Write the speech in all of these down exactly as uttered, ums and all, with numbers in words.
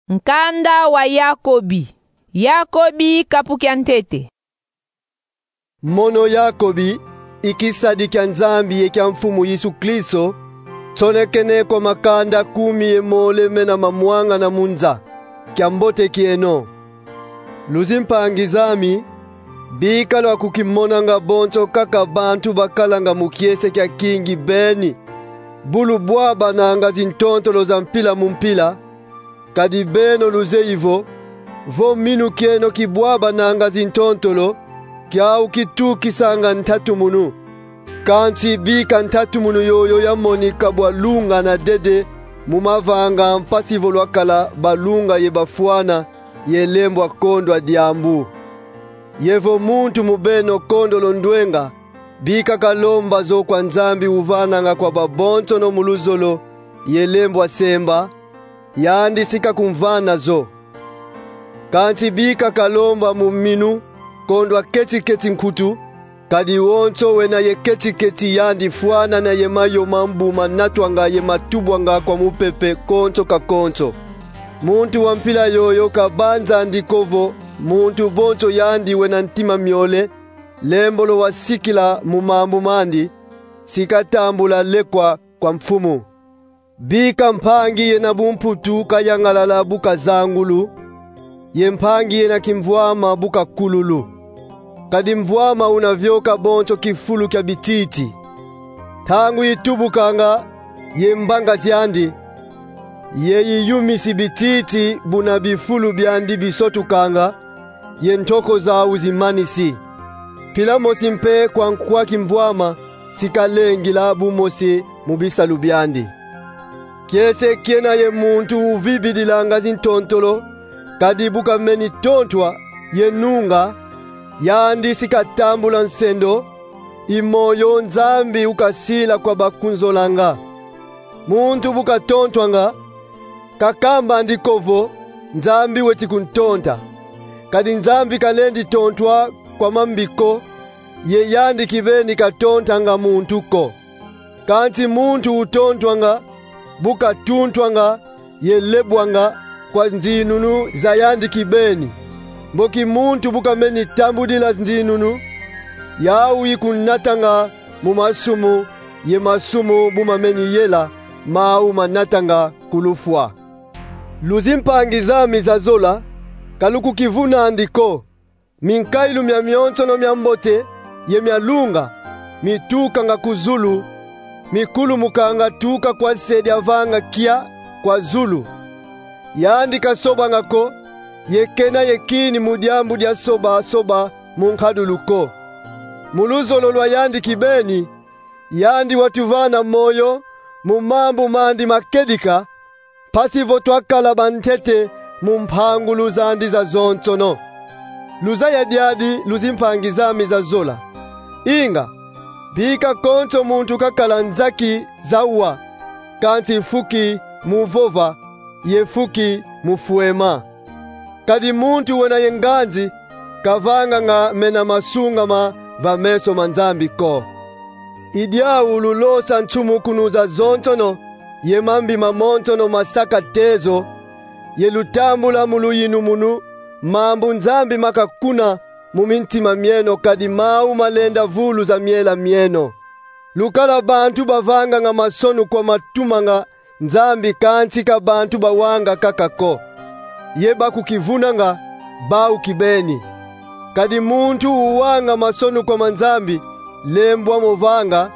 Nkanda wa Yakobi. Yakobi kapu kia ntete. Mono Yakobi, i kisadi kia Nzambi ye kia Mfumu Yesu Kristo, nsonekene kwa makanda kumi ye mole mena mamwangana mu nza. Kiambote kieno. Luzimpangi zami, bika lwakukimonanga bonso kaka bantu bakalanga mu kiese kia kingi beni, bu lubwabananga zintontolo za mpila mu mpila, kadi beno luzeyi vo, vo minu kieno kibwabananga zintontolo, kiau kitukisanga ntatumunu. Kansi bika ntatumunu yoyo yamonika bwa lunga na dede mu mavanga mpasi vo lwakala balunga ye bafwana, ye lembwa kondwa diambu. Ye vo muntu mu beno kondolo ndwenga, bika kalomba zo kwa Nzambi uvananga kwa babonsono mu luzolo ye lembwa semba, yandi si kakumvana zo. Kansi bika kalomba mu minu kondwa keti-keti nkutu, kadi wonso wena ye keti-keti yandi fwanana ye mayo mambu manatwanga ye matubwanga kwa mupepe konso ka konso. Muntu wa mpila yoyo kabanzandi ko vo muntu bonso yandi wena ntima miole, lembolo wasikila mu mambu mandi, si katambula lekwa kwa Mfumu. Bika mpangi yena bumputu kayangalala bu kazangulu, ye mpangi yena kimvwama bu kakululu. Kadi mvwama una vyoka bonso kifulu kia bititi. Ntangu itubukanga ye mbanga ziandi, ye iyumisi bititi buna bifulu biandi bisotukanga, ye ntoko zau zimanisi. Mpila mosi mpe kwa nkwa kimvwama si kalengila bu mosi mu bisalu biandi. Kiese kiena ye muntu uvibidilanga zintontolo, kadi bu kameni tontwa ye nunga, yandi si katambula nsendo, i moyo Nzambi ukasila kwa bakunzolanga. Muntu bu katontwanga, kakambandi ko vo Nzambi weti kuntonta. Kadi Nzambi kalendi tontwa kwa mambi ko, ye yandi kibeni katontanga muntu ko. Kansi muntu utontwanga, bu katuntwanga, ye lebwanga kwa nzinunu za yandi kibeni. Mboki muntu bu kameni tambudila nzinunu, yau ikunatanga mu masumu, ye masumu bu mameni yela, mau manatanga ku lufwa. Luzimpangi zami za zola, ka lukukivunandi ko. Minkailu mia mionsono mia mbote ye mia lunga, mitukanga ku zulu, mikulumukanga tuka kwa Se diavanga kia kwa zulu. Yandi kasobanga ko, ye kena ye kini mu diambu dia soba-soba mu nkadulu ko. Mu luzolo lwa yandi kibeni, yandi watuvana moyo mu mambu mandi makedika, mpasi vo twakala bantete mu mpangulu zandi zazonsono. Luzaya diadi, luzimpangi zami za zola. Inga, bika konso muntu kakala nzaki za wa, kansi fuki mu vova, ye fuki mu fwema. Kadi muntu wena ye nganzi, kavanganga mena masungama va meso ma Nzambi ko. I diau lulosa nsumukunu zazonsono, ye mambi mamonsono masaka tezo, ye lutambula mu luyinumunu mambu Nzambi makakuna mu mintima mieno, kadi mau malenda vuluza miela mieno. Lukala bantu bavanganga masonu kwa matumanga Nzambi, kansi ka bantu bawanga kaka ko. Ye bakukivunanga, bau kibeni. Kadi muntu uwanga masonu kwa ma Nzambi, lembwa mo vanga,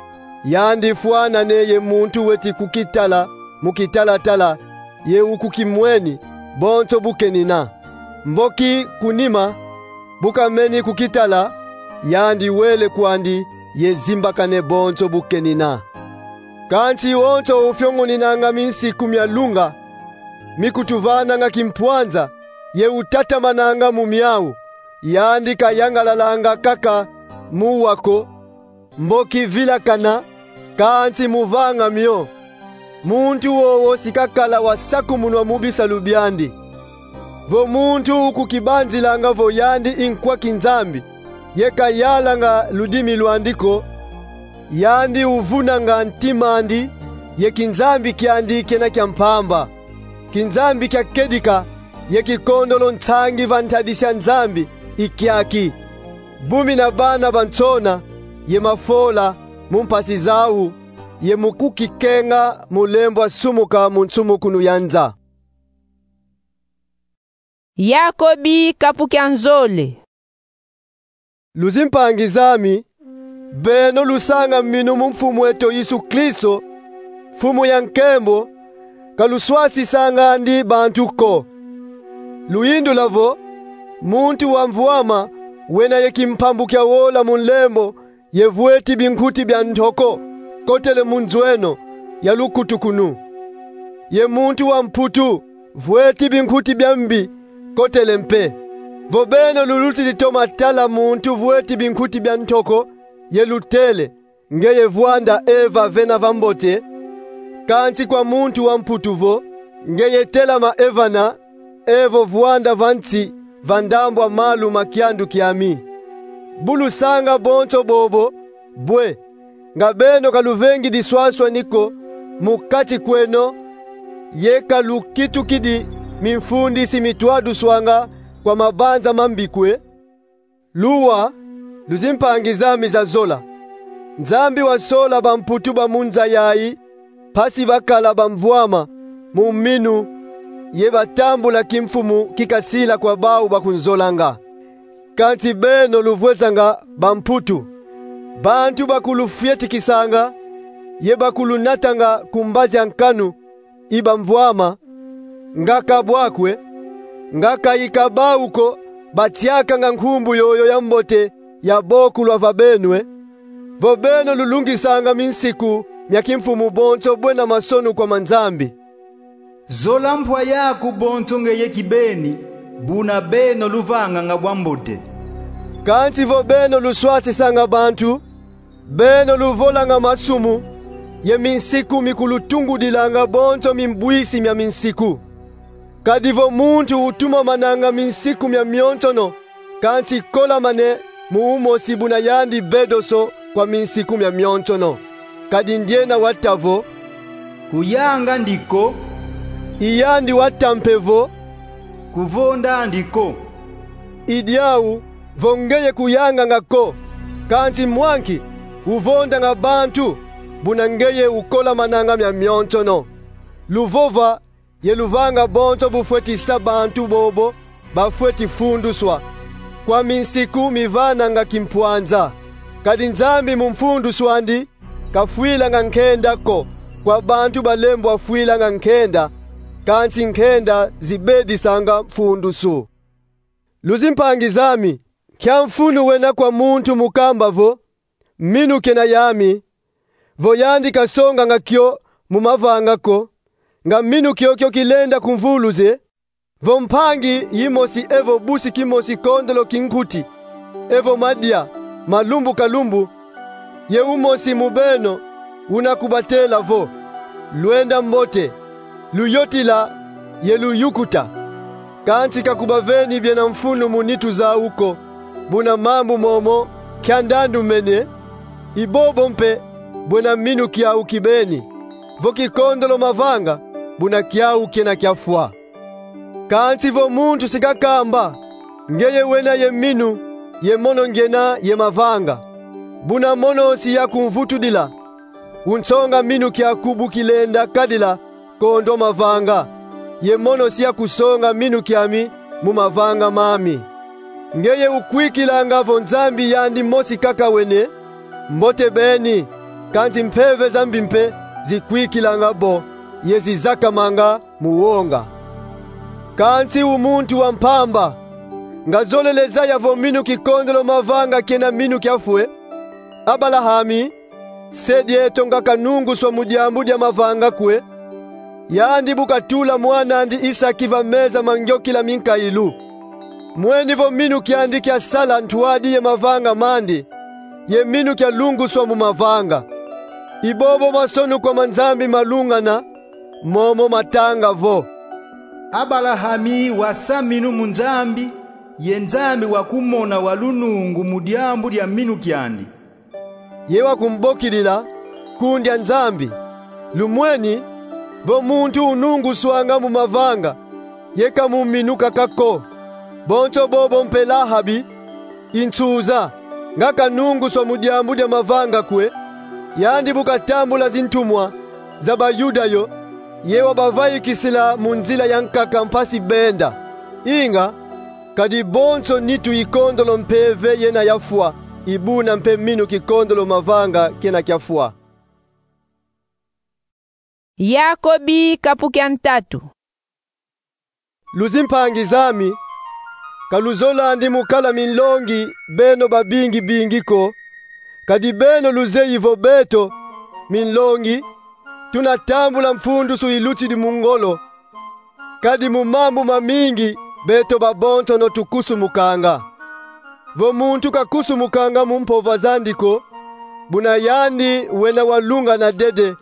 yandi fwanane ye muntu weti kukitala mu kitala-tala, ye ukukimweni, bonso bu kenina. Mboki ku nima, bu kameni kukitala, yandi wele kwandi, ye zimbakane bonso bu kenina. Kansi wonso ufiongoninanga minsiku mia lunga, mikutuvananga kimpwanza, ye utatamananga mu miau, yandi kayangalalanga kaka mu wa ko, mboki vilakana, kansi mu vanga mio. Muntu wowo si kakala wasakumunwa mu bisalu biandi. Vo muntu ukukibanzilanga vo yandi i nkwa kinzambi, ye kayalanga ludimi lwandi ko, yandi uvunanga ntima andi, ye kinzambi kiandi kiena kia mpamba. Kinzambi kia kedika, ye kikondolo nsangi va ntadisi a Nzambi i kiaki: bumina bana ba nsona ye mafola mu mpasi zau, ye mu kukikenga mulembo wa sumuka mu nsumukunu ya nza. Yakobi, kapu kia nzole. Luzimpangi zami, beno lusanga minu mu Mfumu eto Yesu Kristo, Mfumu ya nkembo, ka luswasisangandi bantu ko. Luyindula vo: muntu wa mvwama wena ye kimpambu kia wola mu nlembo ye vweti binkuti bia ntoko, kotele mu nzweno ya lukutukunu. Ye muntu wa mputu vweti binkuti bia mbi, kotele mpe. Vo beno lulutidi toma tala muntu vweti binkuti bia ntoko, ye lutele: Ngeye vwanda Eva vena va mbote. Kansi kwa muntu wa mputu vo: Ngeye telama Eva na, evo vwanda va nsi, va ndambu a malu ma kiandu kiami. Bu lusanga bonso bobo, bwe, nga beno ka luvengi diswaswani ko mu kati kweno, ye ka lukitukidi mimfundisi mitwaduswanga kwa mabanza mambi kwe? Luwa, luzimpangi zami za zola. Nzambi wasola bamputu ba mu nza yayi, mpasi bakala bamvwama mu minu ye batambula kimfumu kikasila kwa bau bakunzolanga. Kansi beno luvwezanga bamputu, bantu bakulufietikisanga ye bakulunatanga ku mbazi a nkanu i bamvwama, nga ka bwa kwe? Nga ka i ka bau ko batiakanga nkumbu yoyo ya mbote ya bokulwa va beno e? Vo beno lulungisanga minsiku mia kimfumu bonso bwena masonu kwa ma Nzambi. Zola mpwa yaku bonso ngeye kibeni, buna beno luvanganga bwa mbote. Kansi vo beno luswasisanga bantu, beno luvolanga masumu, ye minsiku mikulutungudilanga bonso mimbwisi mia minsiku. Kadi vo muntu utumamananga minsiku mia mionsono, kansi kolamane mu umosi buna yandi bedoso kwa minsiku mia mionsono. Kadi ndiena wata vo: Kuyanga ndi ko. I yandi wata mpe vo: Kuvonda ndi ko. I diau, vo ngeye kuyanganga ko, kansi mwa nki uvondanga bantu, buna ngeye ukolamananga mia mionsono? Luvova ye luvanga bonso bufweti sa bantu bobo bafweti funduswa, kwa minsiku mivananga kimpwanza. Kadi Nzambi mu mfundusu andi kafwilanga nkenda ko kwa bantu balembwa fwilanga nkenda, kansi nkenda zibedisanga mfundusu. Luzimpangi zami, nkia mfunu wena kwa muntu mu kamba vo: Minu kena yami, vo yandi kasonganga kio mu mavanga ko, nga minu kiokio kilenda ku mvuluze? Vo mpangi yimosi evo busi kimosi kondolo kinkuti, evo madia ma lumbu ka lumbu, ye umosi mu beno una kubatela vo: Lwenda mbote, luyotila ye luyukuta, kansi ka kubaveni biena mfunu mu nitu zau ko, buna mambu momo nkia ndandu mene, i bobo mpe bwena minu kiau kibeni. Vo kikondolo mavanga, buna kiau kena kiafwa. Kansi vo muntu si kakamba: Ngeye wena ye minu, ye mono ngena ye mavanga, buna mono si yakumvutudila, unsonga minu kiaku bu kilenda kadila kondwa mavanga, ye mono si yakusonga minu kiami mu mavanga mami. Ngeye ukwikilanga vo Nzambi yandi mosi kaka wena, mbote beni, kansi mpeve za mbi mpe zikwikilanga bo, ye zizakamanga mu wonga. Kansi u muntu wa mpamba, nga zolele zaya vo minu kikondolo mavanga kena minu kiafwa e? Abalahami, se dieto, nga kanunguswa mu diambu dia mavanga kwe, yandi bu katula mwan'andi Isaki va meza ma ngiokila minkailu. Mweni vo minu kiandi kiasala ntwadi ye mavanga mandi, ye minu kialunguswa mu mavanga. I bobo masonu kwa ma Nzambi malungana, momo matanga vo: Abalahami wasa minu mu Nzambi, ye Nzambi wakumona wa lunungu mu diambu dia minu kiandi. Ye wakumbokidila, kundia Nzambi. Lumweni, vo muntu ununguswanga mu mavanga, Ye ka mu minu kaka ko. Bonso bobo mpe Lahabi, i nsuza, nga kanunguswa mu diambu dia mavanga kwe, yandi bu katambula zintumwa za Bayuda yo, ye wabavaikisila mu nzila ya nkaka mpasi benda. Inga, kadi bonso nitu i kondolo mpeve yena yafwa, i buna mpe minu kikondolo mavanga kena kiafwa. Yakobi kapu kia ntatu. Luzimpangi zami, ka luzolandi mu kala minlongi beno babingi bingi ko, kadi beno luzeyi vo beto, minlongi, tuna tambula mfundusu ilutidi mu ngolo, kadi mu mambu mamingi beto babonsono tukusumukanga. Vo muntu kakusumukanga mu mpova zandi ko, buna yandi wena walungana dede,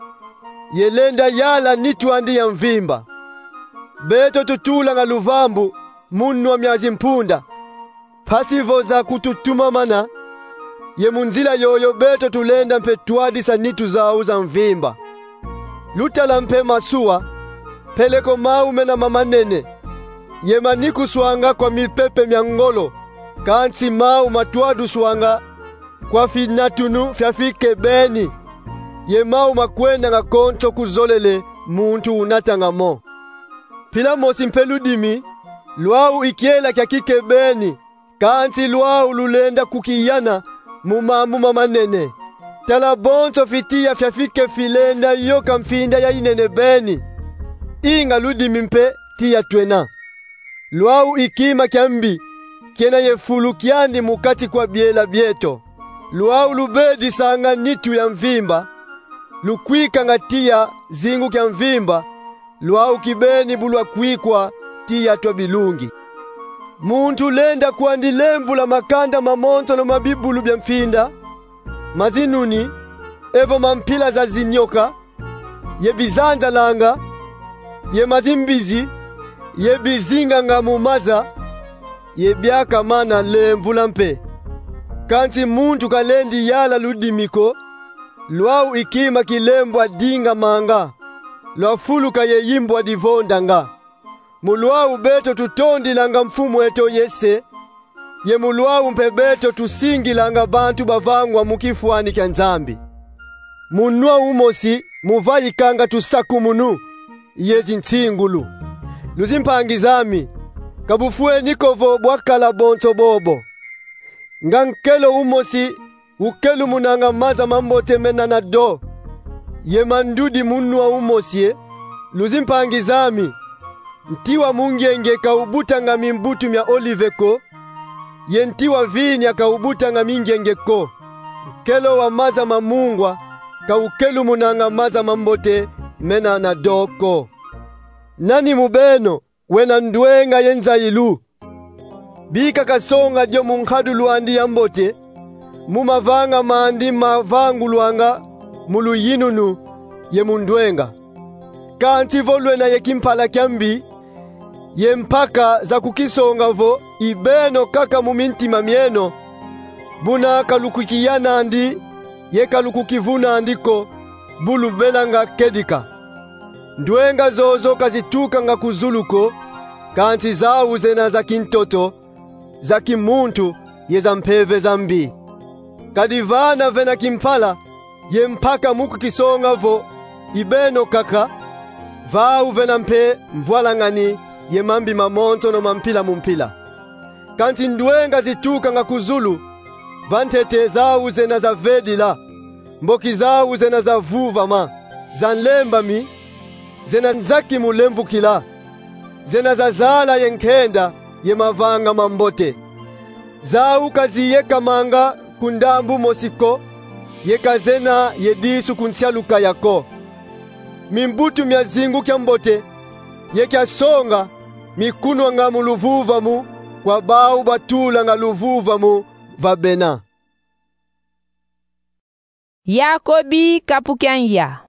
ye lenda yala nitu andi ya mvimba. Beto tutulanga luvambu mu nwa mia zimpunda, mpasi vo za kututumamana, ye mu nzila yoyo beto tulenda mpe twadisa nitu zau za mvimba. Lutala mpe masuwa, peleko mau mena mamanene, ye manikuswanga kwa mipepe mia ngolo, kansi mau matwaduswanga kwa finatunu fia fikebeni, ye mau makwendanga konso ku zolele muntu unatanga mo. Mpila mosi mpe ludimi, lwau i kiela kia kikebeni, kansi lwau lulenda kukiyana mu mambu mamanene. Tala bonso fitiya fia fike filenda yoka mfinda ya inene beni. Inga ludimi mpe tiya twena. Lwau i kima kia mbi, kiena ye fulu kiandi mu kati kwa biela bieto. Lwau lubedisanga nitu ya mvimba, lukwikanga tiya zingu kia mvimba, lwau kibeni bu lwakwikwa tiya twa bilungi. Muntu lenda kwandi lemvula makanda mamonsono ma bibulu bia mfinda, ma zinuni, evo ma mpila za zinyoka, ye bizanzalanga, ye ma zimbizi, ye bizinganga mu maza, ye biaka mana lemvula mpe. Kansi muntu kalendi yala ludimi ko, lwau i kima kilembwa dingamanga, lwafuluka ye yimbwa divondanga. Mu lwau beto tutondilanga Mfumu eto ye Se, ye mu lwau mpe beto tusingilanga bantu bavangwa mu kifwani kia Nzambi. Mu nwa umosi muvaikanga tusakumunu ye zinsingulu. Luzimpangi zami, ka bufweni ko vo bwakala bonso bobo. Nga nkelo umosi ukelumunanga maza mambote mena na do, ye ma ndudi mu nwa umosi e, luzimpangi zami, nti wa mungenge ka ubutanga mimbutu mia olive ko, ye nti wa vinya ka ubutanga mingenge ko. Nkelo wa maza ma mungwa ka ukelumunanga maza mambote mena na do ko. Nani mu beno wena ndwenga ye nzayilu? Bika kasonga dio mu nkadulu andi ya mbote, mu mavanga mandi mavangulwanga mu luyinunu ye mu ndwenga. Kansi vo lwena ye kimpala kia mbi, ye mpaka za kukisonga vo i beno kaka mu mintima mieno, buna ka lukukiyanandi, ye ka lukukivunandi ko, bu lubelanga kedika. Ndwenga zozo ka zitukanga ku zulu ko, kansi zau zena za kintoto, za kimuntu, ye za mpeve za mbi. Kadi vana vena kimpala ye mpaka mu kukisonga vo i beno kaka, vau vena mpe mvwalangani ye mambi mamonsono ma mpila mu mpila. Kansi ndwenga zitukanga ku zulu, va ntete zau zena za vedila, mboki zau zena za vuvama, za nlembami, zena nzaki mu lemvukila, zena za zala ye nkenda ye mavanga mambote. Zau ka ziyekamanga ku ndambu mosi ko, ye ka zena ye disu ku nsialu kaya ko. Mimbutu mia zingu kia mbote ye kia songa mikunwanga mu luvuvamu kwa bau batulanga luvuvamu va bena. Yakobi kapu kia nza.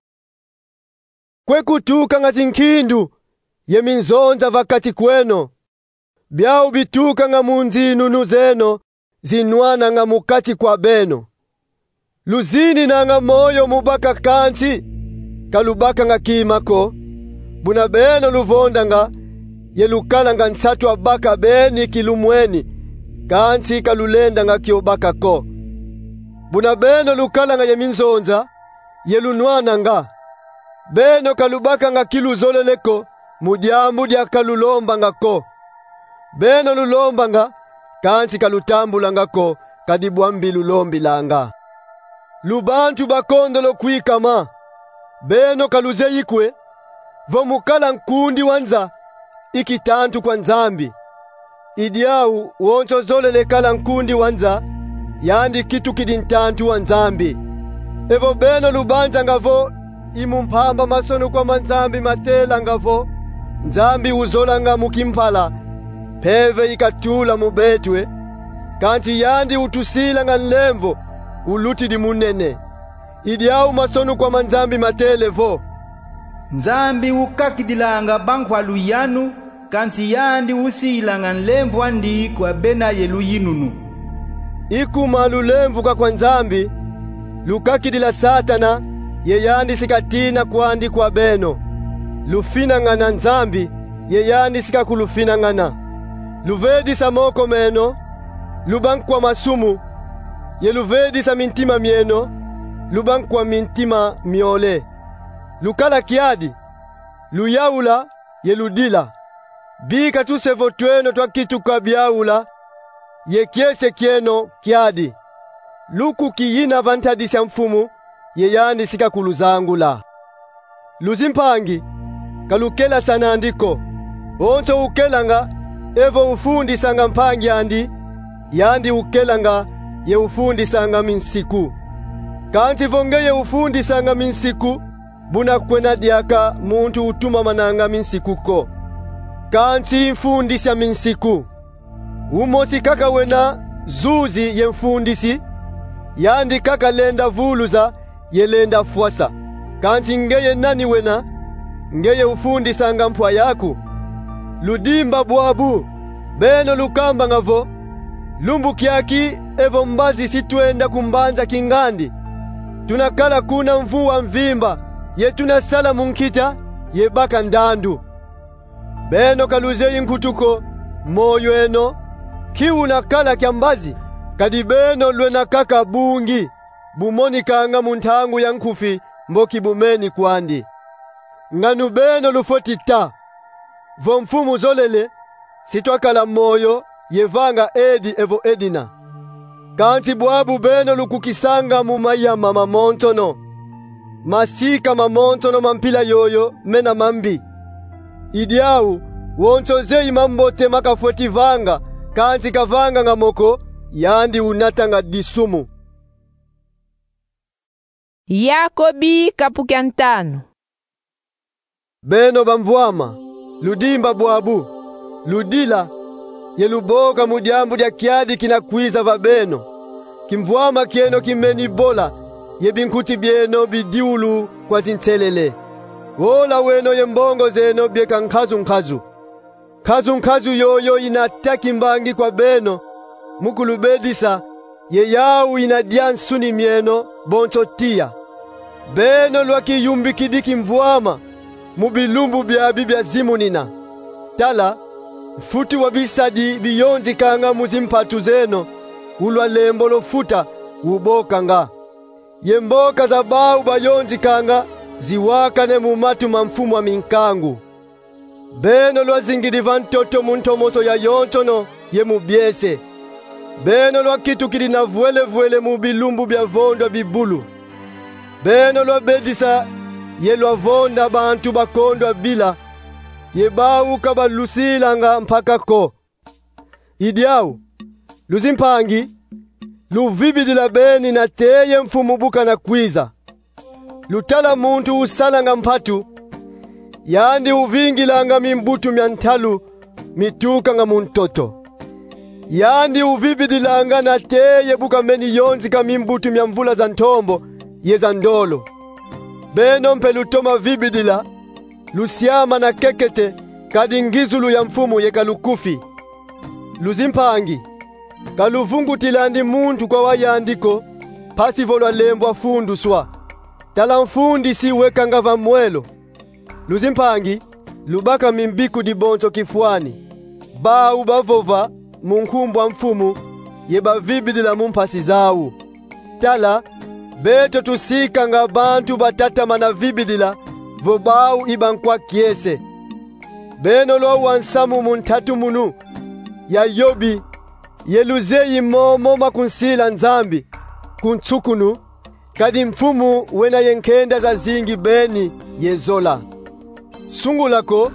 Kwe kutukanga zinkindu ye minzonza va kati kweno. Biau bitukanga mu nzinunu zeno zinwananga mu kati kwa beno. Luzininanga moyo mu baka kansi ka lubakanga kima ko, buna beno luvondanga: ye lukalanga nsatu a baka beni kilumweni, kansi ka lulendanga kio baka ko. Buna beno lukalanga ye minzonza, ye lunwananga. Beno ka lubakanga ki luzolele ko mu diambu dia ka lulombanga ko. Beno lulombanga, kansi ka lutambulanga ko, kadi bwa mbi lulombilanga. Lu bantu ba kondolo kwikama. Beno ka luzeyi kwe vo mu kala nkundi wa nza i kitantu kwa Nzambi? I diau wonso zolele kala nkundi wa nza, yandi kitukidi ntantu wa Nzambi. Evo beno lubanzanga vo i mu mpamba masonukwa ma Nzambi matelanga vo Nzambi uzolanga mu kimpala, mpeve i katula mu beto e, kansi yandi utusilanga nlemvo ulutidi munene. I diau masonukwa ma Nzambi matele vo: Nzambi ukakidilanga bankwalu yanu, kansi yandi usilanga nlemvo andi kwa bena ye luyinunu. I kuma lulemvuka kwa Nzambi, lukakidila Satana, ye yandi si katina kwandi kwa beno. Lufinangana Nzambi, ye yandi si kakulufinangana. Luvedisa moko meno, luba nkwa masumu, ye luvedisa mintima mieno, luba nkwa mintima miole. Lukala kiadi, luyaula, ye ludila. Bika tuse vo tweno twakituka biaula, ye kiese kieno kiadi. Lukukiyina va ntadisi a Mfumu, ye yandi si kakuluzangula. Luzimpangi, ka lukelasana andi ko. Wonso ukelanga, evo ufundisanga mpangi andi, yandi ukelanga, ye ufundisanga minsiku. Kansi vo ngeye ufundisanga minsiku, buna kwena diaka muntu utumamananga minsiku ko, kansi mfundisi a minsiku. Umosi kaka wena zuzi ye mfundisi, yandi kaka lenda vuluza ye lenda fwasa. Kansi ngeye nani wena? Ngeye ufundisanga mpwa yaku. Ludimba bwabu, beno lukambanga vo: Lumbu kiaki evo mbazi si twenda ku mbanza kingandi. Tuna kala kuna mvu wa mvimba, ye tuna sala mu nkita, ye baka ndandu. Beno ka luzeyi nkutu ko moyo eno, ki una kala kia mbazi, kadi beno lwena kaka bungi, bu monikanga mu ntangu ya nkufi mbo ki bumeni kwandi. Nganu beno lufweti ta vo Mfumu zolele, si twakala moyo ye vanga edi evo edina. Kansi bwabu beno lukukisanga mu mayama mamonsono. Masika mamonsono ma mpila yoyo mena mambi. I diau, wonso zeyi mambote ma kafweti vanga, kansi kavanganga mo ko, yandi unatanga disumu. Yakobi kapu kia ntanu. Beno bamvwama, ludimba bwabu, ludila, ye luboka mu diambu dia kiadi kina kwiza va beno. Kimvwama kieno kimeni bola, ye binkuti bieno bidiulu kwa zinselele. Wola weno ye mbongo zeno bieka nkazu-nkazu. Nkazu-nkazu yoyo ina ta kimbangi kwa beno, mu kulubedisa, ye yau ina dia nsuni mieno, bonso tiya. Beno lwakiyumbikidi kimvwama mu bilumbu biabi bia zimunina. Tala, mfutu wa bisadi biyonzikanga mu zimpatu zeno, ulwa lembolo futa, ubokanga. Ye mboka za bau bayonzikanga ziwakane mu matu ma Mfumu a Minkangu. Beno lwazingidi va ntoto mu ntomoso yayonsono ye mu biese. Beno lwakitukidi na vwele-vwele mu bilumbu bia vondwa bibulu. Beno lwabedisa ye lwavonda bantu bakondwa bila, ye bau ka balusilanga mpaka ko. I diau, luzimpangi, luvibidila beni nate ye Mfumu bu kana kwiza. Lutala muntu usalanga mpatu, yandi uvingilanga mimbutu mia ntalu mitukanga mu ntoto. Yandi uvibidilanga nate ye bu kameni yonzika mimbutu mia mvula za ntombo ye za ndolo. Beno mpe lutoma vibidila, lusiama na kekete, kadi ngizulu ya Mfumu yeka lukufi. Luzimpangi, ka luvungutilandi muntu kwa wa yandi ko, mpasi vo lwalembwa funduswa. Tala mfundisi wekanga va mwelo. Luzimpangi, lubaka mimbikudi bonso kifwani, bau bavova mu nkumbu a Mfumu ye bavibidila mu mpasi zau. Tala, beto tusikanga bantu batatamana vibidila vo bau i bankwa kiese. Beno lwau wa nsamu mu ntatumunu ya Yobi, ye luzeyi momo makunsila Nzambi ku nsukunu, kadi Mfumu wena ye nkenda zazingi beni ye zola. Sungula ko,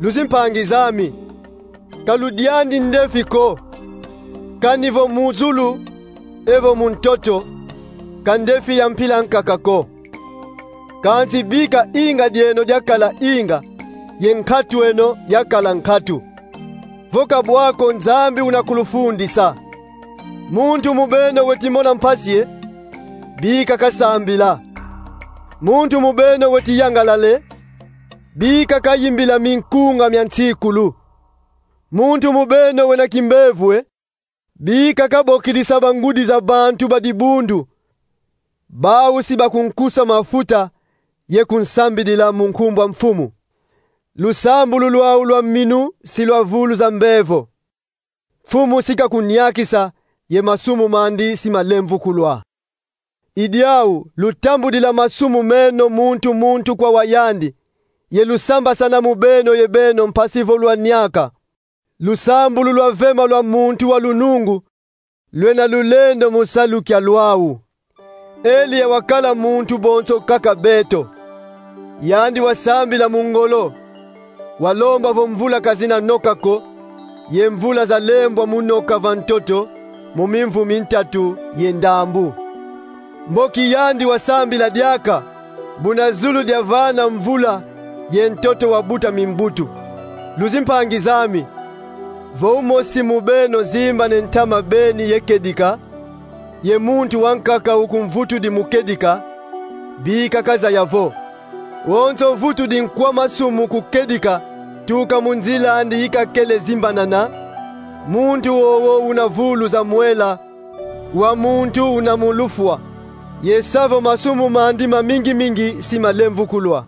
luzimpangi zami, ka ludiandi ndefi ko, kani vo mu zulu evo mu ntoto, ka ndefi ya mpila nkaka ko. Kansi bika inga dieno diakala inga, ye nkatu eno yakala nkatu. Vo ka bwa ko Nzambi una kulufundisa. Muntu mu beno weti mona mpasi e, bika kasambila. Muntu mu beno weti yangalala e, bika kayimbila minkunga mia nsikulu. Muntu mu beno wena kimbevo e, bika kabokidisa bangudi za bantu ba dibundu, bau si bakunkusa mafuta ye kunsambidila mu nkumbu a Mfumu. Lusambulu lwau lwa minu si lwa vuluza mbevo. Mfumu si kakuniakisa, ye masumu mandi si malemvukulwa. I diau lutambudila masumu meno muntu muntu kwa wa yandi, ye lusambasana mu beno ye beno mpasi vo lwaniaka. Lusambulu lwa vema lwa muntu wa lunungu lwena lulendo mu salu kia lwau. Eliya wakala muntu bonso kaka beto. Yandi wasambila mu ngolo, walomba vo mvula ka zina noka ko, ye mvula zalembwa mu noka va ntoto mu mimvu mintatu ye ndambu. Mboki yandi wasambila diaka, buna zulu diavana mvula ye ntoto wabuta mimbutu. Luzimpangi zami, vo umosi mu beno zimbane ntama beni ye kedika, ye muntu wankaka ukumvutudi mu kedika, bika kazaya vo: Wonso uvutudi nkwa masumu ku kedika, tuka mu nzila andi ikakele zimbanana, muntu wowo una vuluza mwela wa muntu una mu lufwa, ye sa vo masumu mandi mamingi-mingi si malemvukulwa.